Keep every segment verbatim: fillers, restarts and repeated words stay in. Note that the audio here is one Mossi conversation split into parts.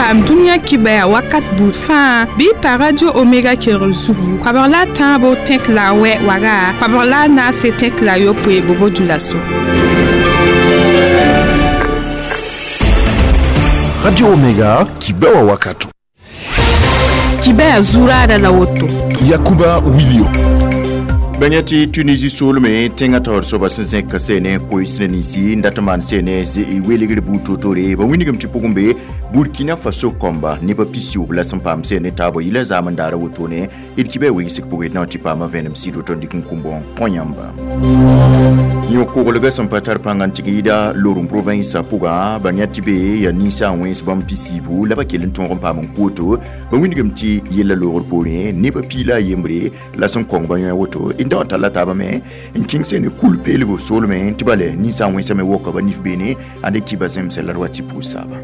Paam dũniyã kibɛa wakat buud fãa bɩ y pa Radio Omega kelgr zugu koabg la a tãabo tẽk la a wɛ waga koabg la a naase tẽk la a yopoe bobo dulaso. Radio Omega kibɛwa wakato. Kibɛa zuraada la woto. Yakuba Wilio. Bãng tɩ Tunisie soolme tẽngã taoor soaba sẽn zẽk ka seene koees ne ninsi n dat n maan seene welegr buud toor-toore ba wilgame tɩ pʋgẽ be Burkina Faso kõmba nebã pis-yoob la sẽn paam seene taabã yila zaam n daara wotone d kibã wegsg pʋgẽ d na n tɩ paama vẽenem sɩd woto n dɩk n kũmbõ kõ yãmba yõ-koglgã sẽn pa tar pãng n tɩg yɩda Loroum province pʋga ba yã tɩ be yaa ninsaag wẽns bãmb pis-yiibu la ba kell n tõog n paam n koto ba wilgame tɩ yella loogr poorẽ nebã piila a yembre la sẽn kõng ba yõ woto n da n talla taabã me n kẽng seene kul-peelgo soolmẽ tɩ bale ninsaag wẽnsã me woka ba nif beene ande kiba zẽmsɛ la d wa tɩ pʋʋs saaba.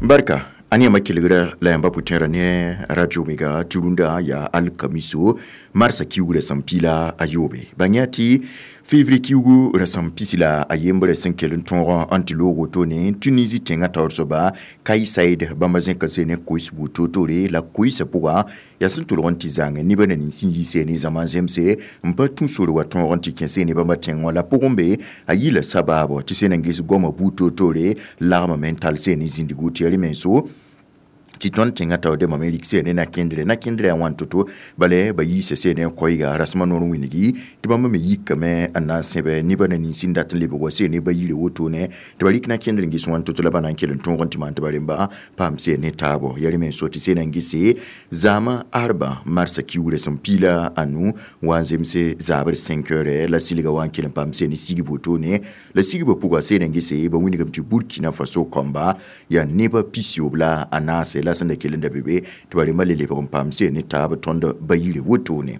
Barka ane yãmba kelgra la yãmba pʋtẽerã ne Radio Omega tɩ rũndã yaa alkamiso marsã kiugrã sẽn pila a yoobe bãng yaa tɩ février kiugu rasam pisi la a yembre sẽn kell n tõog n tɩ loog wotone Tunisie tẽngã taoor soaba Kais Saied bãmba zẽka seene koes buud toor-toore la koeesã pʋga yaa sẽn tʋlg n tɩ zãng nebã na nins n yi seene zãma zemse n pa tũ sore wa tõog n tɩ kẽ seene bãmba tẽng wã la pʋgẽ be a yila sabaabo tɩ sẽn na n ges goamã buud toor-toore lagmame n tall seene zĩndigu tɩ yaa rẽ-menso tɩ tõnd tẽngã taoor dẽmbã me rik seene na-kẽndre na-kẽndrã yaa wãn to-to bala ba yiisa seene n koɛɛga rasmã noor wĩnigi tɩ bãmb me yikame n na n sẽbe nebã na nins n dat n lebg wa seene ba yire wotone tɩ ba rɩk na-kẽndr n ges wãn to-to la ba na n kell n tõog n tɩ maan tɩ ba rẽmba paam seene taabo yaa rẽ me n so tɩ seena n gese zaamã arba marsã kiugrã sẽn piila a nu wa n zemse zaabr cinq heures la silga wa n kell n paam seene sigb wotone la sigbã pʋga seena n gese ba wilgame tɩ Burkina Faso kõmba yaa nebã pis-yoob la a naase la sẽn da kell n da be be tɩ ba rẽmbã le lebg n paam seene taab tõnd ba yire wotone.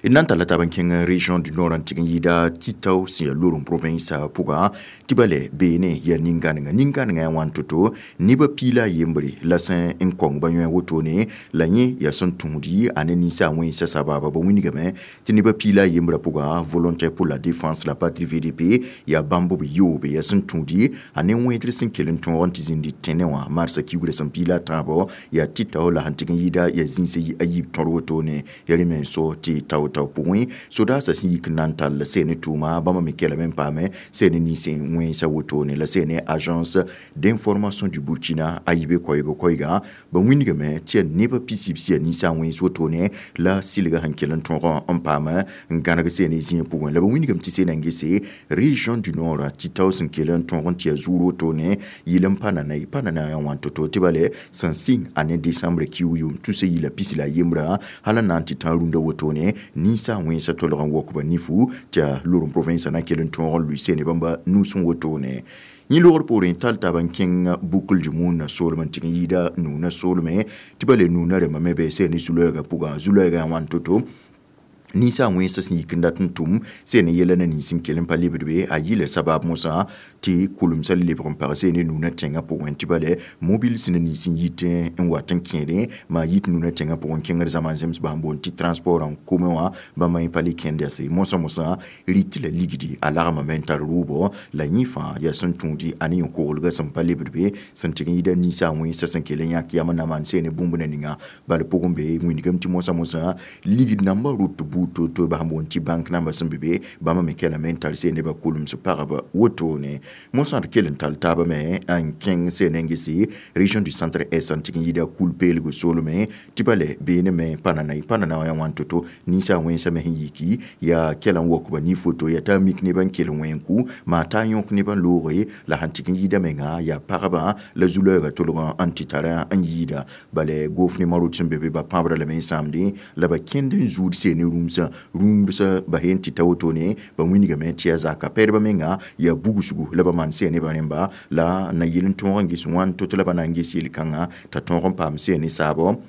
D na n talla taab n kẽng région du nord n tɩg n yɩɩda Titao sẽn yaa Loroum province pʋga tɩ bale beene yaa nin-gãnenga nin-gãnengã yaa wãn to-to nebã piila a yembre la sẽn n kõng ba yõe wotone la yẽ yaa sẽn tũudi a ne ninsaag wẽnsa sabaaba ba wilgame tɩ nebã piila a yembrã pʋga volontaire pour la défense la patrie V D P yaa bãmb b yoobe yaa sẽn tũudi a ne wẽedr sẽn kell n tõog n tɩ zĩndi tẽnẽ wã marsã kiugrã sẽn piila a tãabo yaa Titao la sẽn tɩg n yɩɩda yaa zĩns a yiib tõr wotone yaa rẽ me n so tɩ tao tao pʋgẽ sodaasã sẽn yik n na n tall seene tʋʋma bãmba me kelame n paame seene nins n wẽnsa wotone la seene agence d'information du Burkina a yibe koɛɛg koɛɛga ba wilgame tɩ yaa nebã pis-yib sã yaa ninsaag wẽns wotone la sɩlga sẽn kell n tõog n paam n gãneg seene zĩig pʋgẽ la ba wilgame tɩ seena n gese région du nord Titao sẽn kell n tõog n tɩ yaa zuur wotone yɩl n pa nana ye pa nana yaa wãn to-to tɩ bale sẽn sɩng a ne décembre kiug yʋʋm tusa yɩla pis la a yembrã hal n na n tɩ tã rũndã wotone ninsaag wẽnsa tolg n wok ba nifu tɩ yaa Loroum province na kell n tõog n lʋɩ seene bãmba nus n wotone yẽ logr poorẽ tall taab n kẽng Boucle du Moun soolem n tɩg n yɩɩda nuunã soolme tɩ bale nuunã rẽmbã me be seene zu-loɛɛgã pʋgã zu-loɛɛgã yaa wãn to-to ninsaag wẽnsã sẽn yik n dat n tʋm seene yɛla na nins n kell n pa lebd be a yɩla sabab mosã tɩ kʋlemsã le lebg n pag seene nuunã tẽngã pʋgẽ tɩ bale mobile sẽn na nins n yit n wat n kẽedẽ maa yit nuunã tẽngã pʋgẽ kẽngr zãma n zems bãmb boond tɩ transport n kome wã bãmba yẽ pa le kẽnd yase mosã mosã rɩt la ligdi a lagmame n tar rʋʋbɔ la yẽ fãa yaa sẽn tũudi a ne yõ-koglgã sẽn pa lebd be sẽn tɩg n yɩɩda ninsaag wẽnsã sẽn kell n yãk yam n na maan seene bũmb na ninga bala pʋgẽ be wĩndgame tɩ mosã mosã ligd nambã rʋt buud to-to ba sẽn boond tɩ bank nambã sẽn be be bãmba me kelame n tar seene ba kʋlems pagb wotone mosã d kell n tall taabã me n kẽng seene n gese région du centre est n tɩg n yɩɩda kul-peelgo soolme tɩ bale beene me pa nana ye pa nana wã yaa wãn to-to ninsaag wẽnsã me sẽn yiki yaa kɛla n wok ba nif woto yaa t'a mik nebã n kell n wẽn-ku maa t'a yõk nebã n looge la sẽn tɩg n yɩɩda menga yaa pagba la zu-loɛɛgã tolg n tɩ tara n yɩɩda bale goof ne marot sẽn be be ba pãabra lame n sãamdẽ la ba kẽnd n zuud seene rũmsã rũmsã ba yen tɩ ta wotone ba wilgame tɩ yaa zaka pɛdbã menga yaa bugsgu la ba maan seene ba rẽmba la na yɩl n tõog n ges wãn to-to la ba na n ges yel-kãngã t'a tõog n paam seene saabo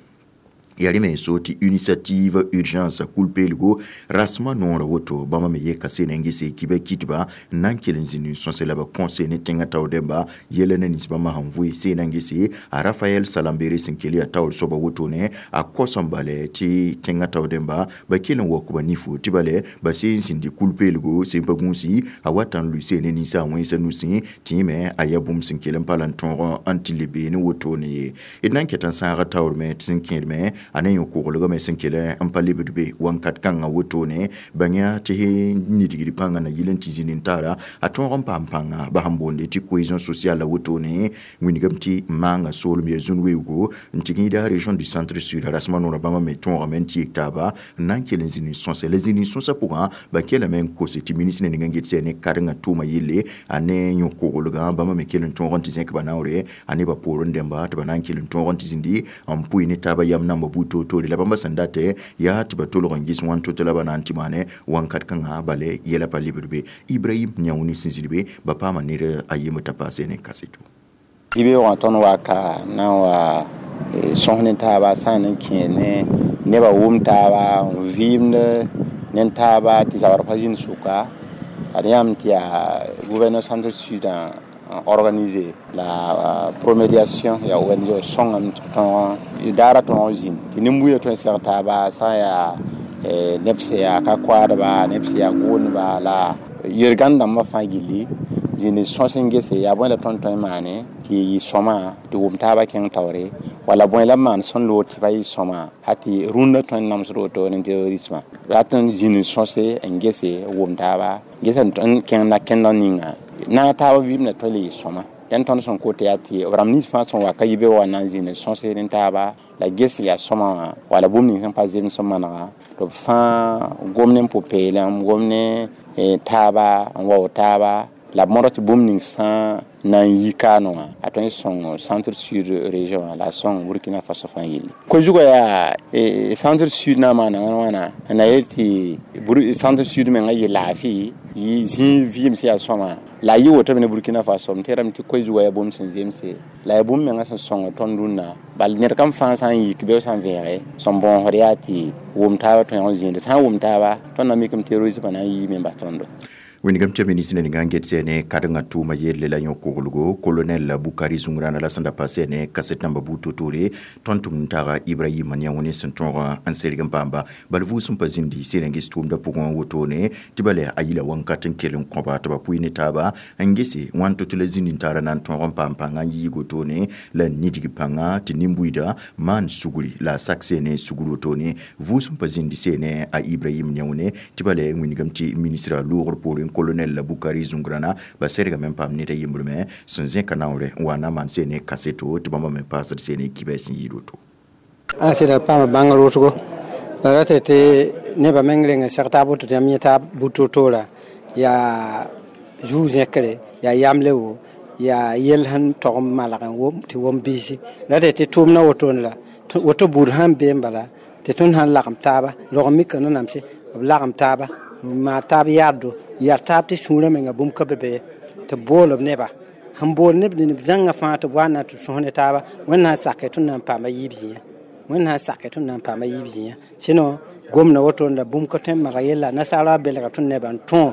Yarime so tɩ initiative urgence kul-peelgo rasmã noorã woto bãmba me yeka sene n gese kibã kitba n na n kell n zĩnd n sõse la ba kõse ne tẽngã taoor dẽmba yɛla na nins bãmba sẽn vʋɩ seen n gese a Rafael Salambere sẽn kell yaa taoor soaba wotone a kos n bale tɩ tẽngã taoor dẽmba ba kell n waook ba nifo tɩ bale ba seen zĩndi kul-peelgo sẽn pa gũusi a wata n lʋɩ seene ninsa a wẽnsa nusẽ tɩ me a yaa bũmb sẽn kell n pa la n tõog n tɩ le beene wotone ye d na n ket n sãaga taoor me tɩ sẽn kẽed me a ne yõ-koglgame sẽn kell n pa lebd be wãnkat kãngã wotone bãng tɩ nidgd pãngã na yɩl n tɩ zĩnd n tara a tõog n paam pãnga ba sẽn boonde tɩ cohésion sociale la wotone wingame tɩ maanga soolem yaa zũn weoogo n tɩ gĩida région du centre sud rasmã noorã bãmba me tõogame n tɩ yek taaba n na n kell n zĩnd n sõse la zĩnd n sõsã pʋgã ba kellame n kose tɩ ministre ning n get sɛ ne karengã tʋʋma yelle a ne yõ-koglgã bãmba me kell n tõog n tɩ zẽk ba naoore a ne ba poorẽ dẽmba tɩ ba na n kell n tõog n tɩ zĩndi n pʋɩ ne taaba yam namba buud toor-toore la bãmba sẽn datɛ yaa tɩ ba tolg n gɩs wãn to-to la ba na n tɩ maane wãnkat kãngã bale yɛla pa lebd be Ibrahim Yãouni sẽn zĩnd be ba paama ned a yembr t'a paase ne kaseto yibeoogã tõnd wa ka na n wa sõs ne taaba sã n kẽer ne nebã wʋm taaba n vɩɩmd ne taaba tɩ zabr pa zĩnd sʋka ad yãmb tɩ yaa gouverneur centre sud organisé la promédiation ya O N G sõngame tɩ tõog daara tõog zĩnd tɩ nin-buiidã tõe n seg taaba sã n yaa neb sẽn yaa ka koaadba neb sẽn yaa gʋʋndba la yel-gãnd dãmbã fãa gilli zĩnd sõs n gese yaa bõe la tõnd tõe n maane tɩ yɩ sõma tɩ wʋm taaba kẽng taoore wala bõe la maan sẽn loog tɩ pa yɩ sõma ha tɩ rũndã tõe n namsd woto ne terrorisme rat n zĩnd sõse n gese wʋm taaba ges n kẽng na kẽndg ninga na taaba vɩɩmda tõe le yɩ sõma dẽn tõnd sẽn kot yaa tɩ b rãmb nins fãa sẽn wa ka yi be wa na n zĩnd sõse ne taaba la ges yaa sõma wã wala bũmb ning sẽn pa zems n manega tɩ b fãa gom ne pʋ-peelem gom ne taaba n wao taaba la b modg tɩ bũmb ning sã na n yi kaanẽ wã a tõe n sõng centre sud région wã la a sõng Burkina Faso fãa yelle ko-zugã yaa centre sud na n maana wãn wãna n na yel tɩ centre sud mengã yɩ laafɩ yɩ zĩig vɩɩm sẽn yaa sõma la a yɩ woto me ne Burkina Faso m tẽedame tɩ koe-zugã yaa bũmb sẽn zemse la yaa bũmb mengã sẽn sõng tõnd rũnnã bal ned kam fãa sã n yik be sã n vẽege sẽn bõosd yaa tɩ wʋm taaba tõe n zĩinde sã n wʋm taaba tõnd na mikame terrorismã na n yiime n bas tõndo. Wingame tɩ ministre ninga n get sɛ ne karengã tʋʋma yelle la yõ-koglgo colonel Bukari Zungrana la sẽn da pa sɛ ne kaset namba buud to-toore tõnd tʋm n taga Ibrahim Yãouni sẽn tõog n serg n paamba bal vʋʋs n pa zĩndi seen n ges tʋʋmdã pʋgẽ wotone tɩ bale a yila wãnkat n kell n kõba tɩ ba pʋɩ ne taaba n gese wãn to-to la zĩnd n tara na n tõog n paam pãnga n yiig wotone la n nidg pãnga tɩ nin-buiidã maan sugri la a sak seene sugr wotone vʋʋs n pa zĩndi seene a Ibrahim Yãoune tɩ bale wingame tɩ ministra loogr poorẽ colonel Bukari Zungrana ba sergame n paam ned a yembr me sẽn zẽka naoore n wa na n maan seene kaseto tɩ bãmba me paasd seene kibɛs sẽn yɩɩd woto. A sɩda paama bãngr wʋsgo la rata tɩ nebã meng reng n seg taab woto tɩ yãmb yẽ taab bud to-toora yaa zuu-zẽkre yaa yamle wo yaa yell sẽn tog n malg n wom tɩ wom biisi la rata tɩ tʋʋmdã wotone la woto buud sãn bee n bala tɩ tõnd sãn lagem taaba rog n mika nanamse b lagem taaba n maan taab yaaddo yaa taab tɩ sũurã menga bũmb ka be be tɩ bool b neba sẽn bool neb neb zãngã fãa tɩ b wa na tɩ sõs ne taaba Wẽnd sã n sake tõnd na n paama yiib zĩyã Wẽnd sã n sake tõnd na n paama yiib zĩyã sɩno gomda woto la bũmb ka tõe n maneg yella nasaara belga tõnd nebã n tõo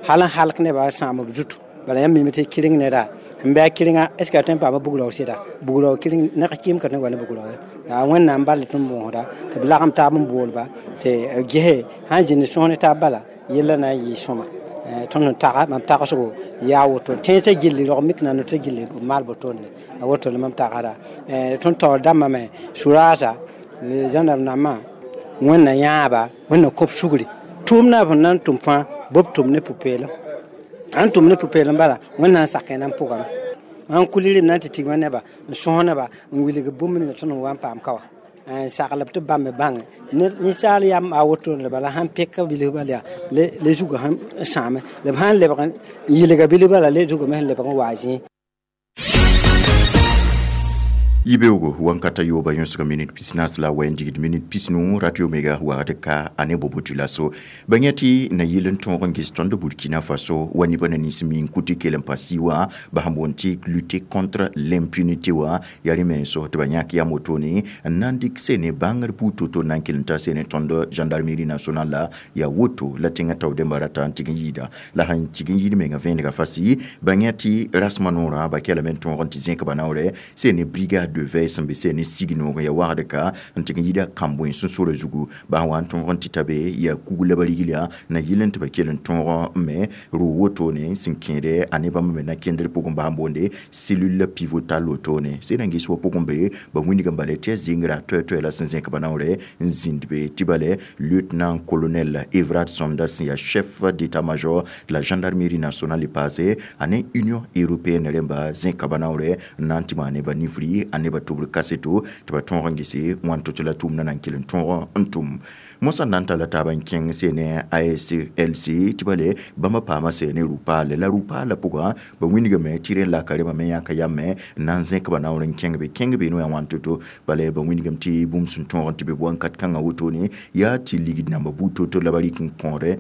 hal n halk nebã sãam b zutu bala yãmb mime tɩ kɩreng neda n bɩ a kɩrenga est ce que a tõe n paama bugrao sɩda bugrao kɩreng neg kɩɩm ka tõe n wa ne bugrao ye yaa Wẽnnaam bal tɩ tõnd bõosda tɩ b lagem taab n boolba tɩ gese sãn zĩnd sõs ne taab bala yella na n yɩ sõma tõnd sẽn taga mam tagsgo yaa woto tẽnsã gilli rog mik na tɩ gilli b maal botone a woto la mam tagsda tõnd taoor dãmbã me suraasa zãndarm nambã Wẽnna yãaba Wẽnna kõb sugri tʋʋmdã b na n tʋm fãa b tʋm ne pʋ-peelem sãn tʋm ne pʋ-peelem bala Wẽnna n sak na n pʋgame mam kuli rem na n tɩ tigma neba n sõs neba n wilg bũmb ninga tõnd n wa n paam ka wa n saglb tɩ bãmb me bãnge ninsaal yam a wotone la bala sãn peka bilf bal yaa le zugã sẽn sãame la b sãn lebg n yɩlga bilf bala le zugame sẽn lebg n waa zĩig. Yibeoogo wãnkata yooba yõsg minit pisnaas la wɛ n digd minit pisnu Radio Omega wagd ka a ne bobo dioulasso ba yã tɩ na yɩl n tõog n ges tõnd Burkina Faso wa nebã na nins mi n kʋ tɩ kell n pa sɩ wã ba sẽn boond tɩ lutter contre l'impunité wã yaa rẽ menso tɩ ba yãk yam wotone n na n dɩk sene bãngr buud to-to n na n kell n ta sene tõnd gendarmerie nationale la yaa woto la tẽngã tao dẽmbã rata n tɩg n yɩɩda la sẽn tɩg n yɩɩd menga vẽenega fasɩ ba yã tɩ rasmã noorã ba kelame n tõog n tɩ zẽk ba naoorɛ sene brigade de veille sẽn be sene sig noog ya wagd ka n tɩg n yɩɩda kambõe sũ-sorã zugu ba sẽn wa n tõog n tɩ ta be yaa kug la ba rigla na yɩl n tɩ ba kell n tõog n me rʋ wotone sẽn kẽede a ne bãmb me na kẽndr pʋgẽ ba sẽn boonde cellule pivotale wotone sẽn na n ges wa pʋgẽ be ba wĩndg n bala tɩ yaa zengrã toɛ-toɛ la sẽn zẽk ba naoorɛ n zĩnd be tɩ bale lieutenant colonel Evrard Somda sẽn yaa chef d'état-major de la gendarmerie nationale paase a ne Union européenne rẽmba zẽka ba naoorɛ n na n tɩ maane ba nifri a ne ba tʋbr kaseto tɩ ba tõog n gese wãn to-to la tʋʋmdã na n kell n tõog n tʋm mosã na n talla taab n kẽng sene A S L C tɩ bale bãmba paama sene rʋ-paale la rʋ-paalã pʋgã ba wĩndgame tɩ rẽ laka rẽmbã me yãka yame n na n zẽk ba naoor n kẽng be kẽng be noyã wãn to-to bala ba wĩndgame tɩ bũmb sẽn tõog n tɩ be wãnkat kãngã wotone yaa tɩ ligd namba buud to-to la ba rɩk n kõore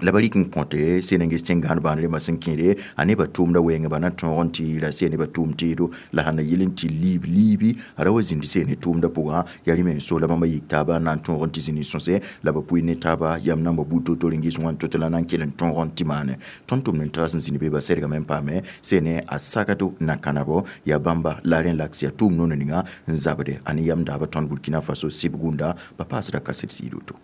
la ba rɩk n kõte sẽn n ges tẽn-gãan bãan rẽmbã sẽn kẽede a nebã tʋʋmdã wɛɛngã ba na tõog n tɩ ra sẽne ba tʋʋm teedo la sãn na yɩl n tɩ liib liibi a ra wa zĩnd sene tʋʋmdã pʋgã yaa rẽ me so la bãmba yik taaba n na n tõog n tɩ zĩnd sõse la ba pʋɩ ne taaba yam namba buud to-to n ges wãn to-to la na n kell n tõog n tɩ maane tõnd tʋmd n taas n zĩnd be ba sɛrgame n paame sene a sagdo na kãnabo yaa bãmba la rẽ laks yaa tʋʋm nono ninga n zabde a ne yam daaba tõnd Burkina Faso sɩb gũnda ba paasda kaset sɩɩd woto.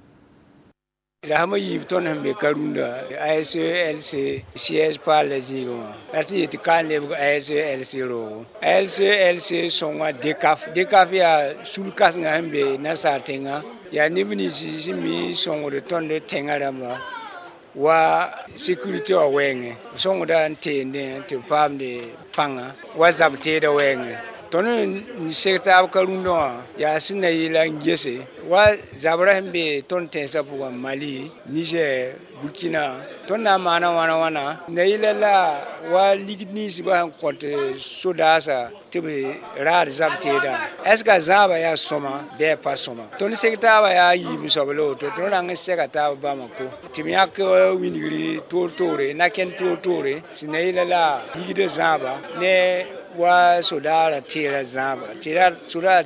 La sã yiib tõnd sẽn be Karunda A S E L C siège paal la zĩigẽ wã la tɩ yetɩ ka n lebg A S E L C roogo A S E L C sõnga D C A F D C A F yaa sul-kãsengã sẽn be nasaar tẽngã yaa neb nins sẽn mi sõngd tõnd tẽngã rãmba wa sécurité wã wɛɛngẽ sõngda n teendẽ tɩ b paamde pãnga wa zab teedã wɛɛngẽ tõnd n seg taab ka-rũndã wã yaa sẽn na yɩla n gese wa zabrã sẽn be tõnd tẽnsã pʋgã Mali, Niger, Burkina tõnd na n maana wãna wãna na yɩla la wa ligd ninsbã sẽn kõt sodaasã tɩ b raad zab teedã est ce que a zãabã yaa sõma bɩ a pa sõma tõnd seg taabã yaa yiib soab la woto tõnd rang n sega taab Bamako tɩ b yãk wĩndgri toor-toore na-kẽnd toor-toore sẽn na yɩla la ligdã zãaba ne wa sodaara teera zãaba tɩ sodaara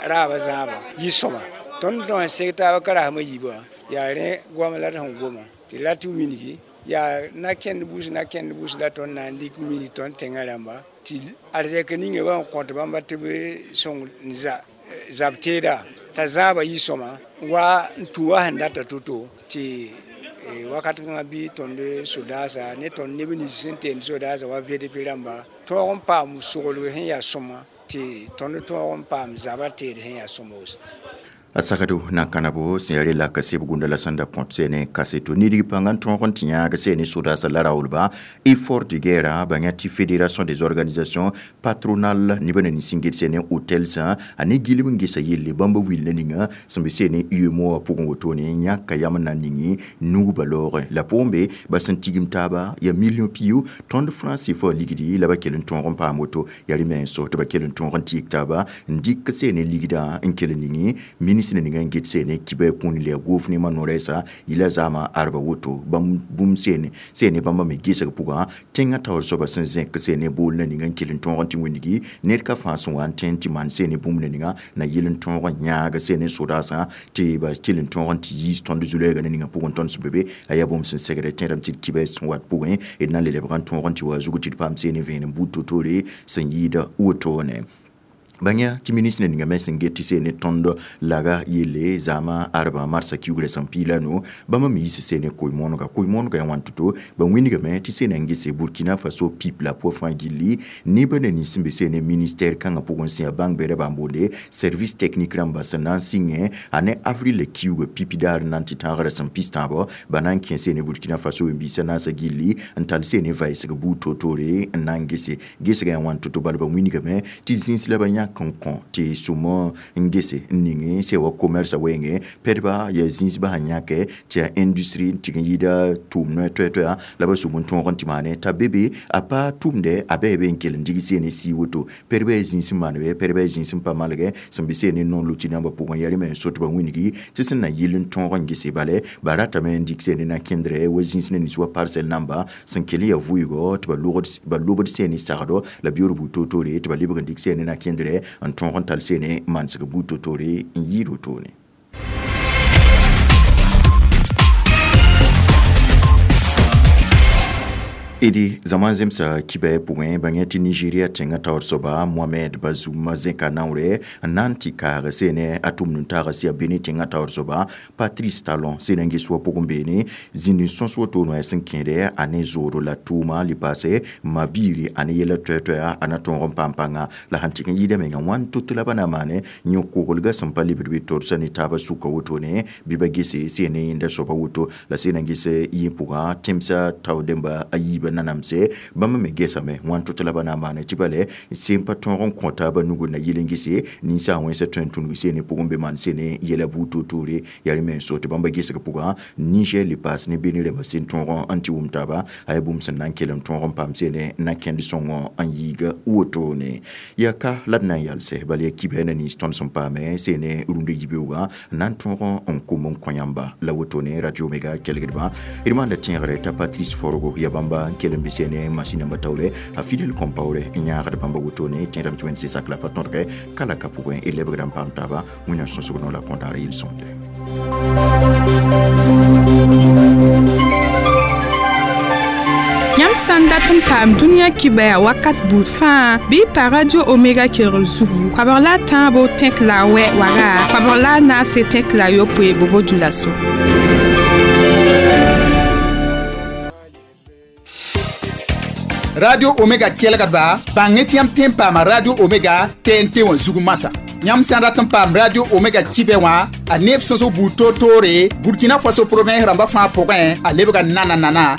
raabã zãaba yɩ sõma tõnd tõe n seg taab ka rasmã yiibã yaa rẽ goam la d sẽn goma tɩ la tɩ wilgi yaa na-kẽnd bus na-kẽnd bus la tõnd na n dɩk wilg tõnd tẽngã rãmba tɩ arzɛk ninga bã n kõt bãmba tɩ b sõng n za zab teeda t'a zãaba yɩ sõma wa n tũ wa sẽn data to-to tɩ wakat kãngã bɩ tõnd sodaasa ne tõnd neb nins sẽn teend sodaasa wa V D P rãmba tõog n paam soglg sẽn yaa sõma tɩ tõnd tõog n paam zabã teed sẽn yaa sõma A sagdo na kãnabo sẽn yaa rela ka seb gũnda la sẽn da kõt sene kaseto nidg pãng n tõog n tɩ yãag sene sodaasã la raoolba effort de guerre ba yã tɩ Fédération des organisations patronales nebã na nins n get sene hôtelsã a ne gilem n gesa yelle bãmba wilna ninga sẽn be sene UEMOA pʋgẽ wotone yãka yam n na n ning nugba loogẽ la pʋgẽ be ba sẽn tigim taaba yaa million pio tõnd franc C F A ligdi la ba kell n tõog n paam woto yaa rẽ menso tɩ ba kell n tõog n tɩ yik taaba n dɩk sene ligdã n kell n ning ministre ninga n get sene kiba kũun la gouvernement no-rɛɛsa yɩla zaamã arba woto bãmb bũmb sene sene bãmba me gesg pʋgã tẽngã taoor soaba sẽn zẽk sene bool na ninga n kell n tõog n tɩ wĩndgi ned ka fãa sẽn wa n tẽ n tɩ maan sene bũmb na ninga na yɩl n tõog n yãag sene sodaasã tɩ ba kell n tõog n tɩ yiis tõnd zu-lɛɛga na ninga pʋgẽ tõnd sẽn be be a yaa bũmb sẽn segd tẽedame tɩ d kiba sẽn wat pʋgẽ d na n le lebg n tõog n tɩ wa zug tɩ d paam sene vẽenem buud to-toore sẽn yɩɩda wotone bãng tɩ ministre ninga me sẽn get tɩ sene tõnd laga yelle zaamã arba marsã kiugrã sẽn piila no bãmba me yiis sene koe-moonega koe-moonega yaa wãn to-to ba wĩndgame tɩ sena n gese Burkina Faso pip la pʋa fãa gilli nebã na nins sẽn be sene ministère kãngã pʋgẽ sẽn yaa bãng bɛda bãmb boonde service technique rãmba sẽn na n sɩngẽ a ne avril kiuga pipi daar n na n tɩ tãagrã sẽn pis tãabo ba na n kẽ sene Burkina Faso wẽn-biisã naasã gilli n tall sene vaɩsg buud to-toore n na n gese gesgã yaa wãn to-to bala ba wĩndgame tɩ zĩns la ba yãk yak n kõ tɩ sũm n gese n ning sẽn wa commerce wenge pɛdba yaa zĩisbã sẽn yãke tɩ yaa industrie n tɩg n yɩɩda tʋʋm noɛ toɛ-toɛa la ba sũm n tõog n tɩ maane t'a be be a pa tʋmdɛ a bɩ be n kell n dig seene sii woto pɛdbã yaa zĩis n maanebe pɛdbã yaa zĩis n pa malgɛ sẽn be seene noor luti nambã pʋgẽ yaa rẽ me n sot ba wĩngi tɩ sẽn na yɩl n tõog n gese bale ba ratame n dɩk seene na kẽndrɛ wa zĩis ne nins wa parcelle namba sẽn kell n yaa vʋɩgɔ tɩ ba lobd seene sagdo la biyoor buud toor-toore tɩ ba lebg n dɩk seene na kẽndrɛ n tõog n tall seene mansg buud toor-toore n yɩɩd wotone. Idi zaman zemsa kibɛ pʋgẽ bãng tɩ Nigeria tẽngã taoor soaba Mohamed Bazoum zẽka naoore n na n tɩ kaag seene a tʋmd n taag sɩ a Benin tẽngã taoor soaba Patrice Talon sẽn n ges wa pʋgẽ beene zĩnd n sõs woto noɛɛ sẽn kẽede a ne zooro la tʋʋma le paase ma-biiri a ne yɛla toɛ-toɛa a na tõog n paam pãnga la sẽn tɩg n yɩɩda menga wãn tot la ba na maane yõ-koglgã sẽn pa lebd bɩ torsa ne taabã sʋka wotone bɩ ba gese seene yẽnda soaba woto la sẽn n ges yẽ pʋgã tẽmsã tao dẽmba a yiibã nanamse bãmb me gesame wãn tot la ba na n maane tɩ bale sẽn pa tõog n kõ taabã nugu na yɩl n gese ninsaag wẽnsã tõe n tũnug seene pʋgẽ be maan seene yɛla buud toor-toore yaa rẽ me n so tɩ bãmba gesg pʋgã Niger le paas ne Benin rãmbã sẽn tõog n tɩ wʋm taaba a yaa bũmb sẽn na n kell n tõog n paam seene na kẽnd sõngõ n yiiga wotone yaa ka la d na n yalsɛ bala yaa kibɛ na nins tõnd sẽn paame seene rũndã yibeoogã n na n tõog n kom n kõ yãmba la wotone Radio Omega kelgdbã d maanda tẽegre t'a Patrice Forgo yaa bãmba n kell n be seene masĩnã taoore a Fidel Compaoré n yãagd bãmba wotone tẽedame tɩ wẽnd sɩsak la pa tõdgɛ ka la ka pʋgẽ d lebgra n paam taaba wẽnnaam sõsg no la kõdaar yel-sõmde. Yãmb sã n dat n paam dũniyã kibɛa wakat buud fãa bɩ y pa Radio Omega kelgr zugu koabg la a tãabo tẽk la a wɛ waga koabg la a naase tẽk la a yopoe bobo dulaso. Radio Omega kelgdba bãng tɩ yãmb tõe n paama Radio Omega T N T wã zug masã. Yãmb sã n rat n paam Radio Omega kibɛ wã a neeb sõsg buud toor-toore Burkina Faso province rãmbã fãa pʋgẽ a lebga nana nana.